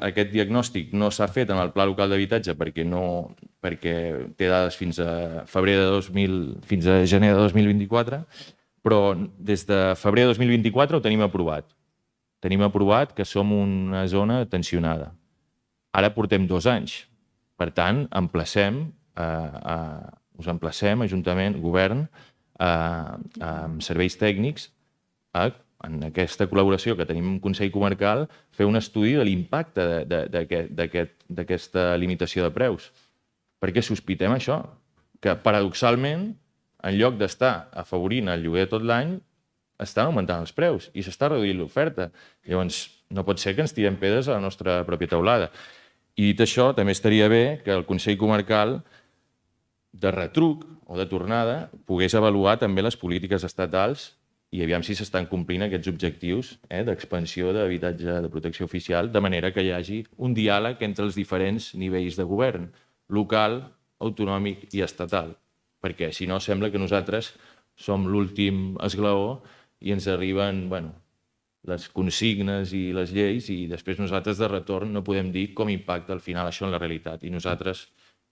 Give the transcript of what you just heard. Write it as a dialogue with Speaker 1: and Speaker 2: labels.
Speaker 1: Aquest diagnòstic no s'ha fet en el Pla Local d'Habitatge perquè té dades fins a fins a gener de 2024, però des de febrer de 2024 ho tenim aprovat. Tenim aprovat que som una zona tensionada. Ara portem 2 anys. Per tant, us emplacem, Ajuntament, Govern, amb serveis tècnics, en aquesta col·laboració que tenim amb el Consell Comarcal, fer un estudi de l'impacte d'aquesta limitació de preus. Perquè sospitem això, que paradoxalment, en lloc d'estar afavorint el lloguer tot l'any, estan augmentant els preus i s'està reduint l'oferta. Llavors, no pot ser que ens tirem pedres a la nostra pròpia teulada. I dit això, també estaria bé que el Consell Comarcal, de retruc o de tornada, pogués avaluar també les polítiques estatals i aviam si s'estan complint aquests objectius d'expansió d'habitatge de protecció oficial, de manera que hi hagi un diàleg entre els diferents nivells de govern, local, autonòmic i estatal. Perquè si no sembla que nosaltres som l'últim esglaó i ens arriben les consignes i les lleis i després nosaltres de retorn no podem dir com impacta al final això en la realitat. I nosaltres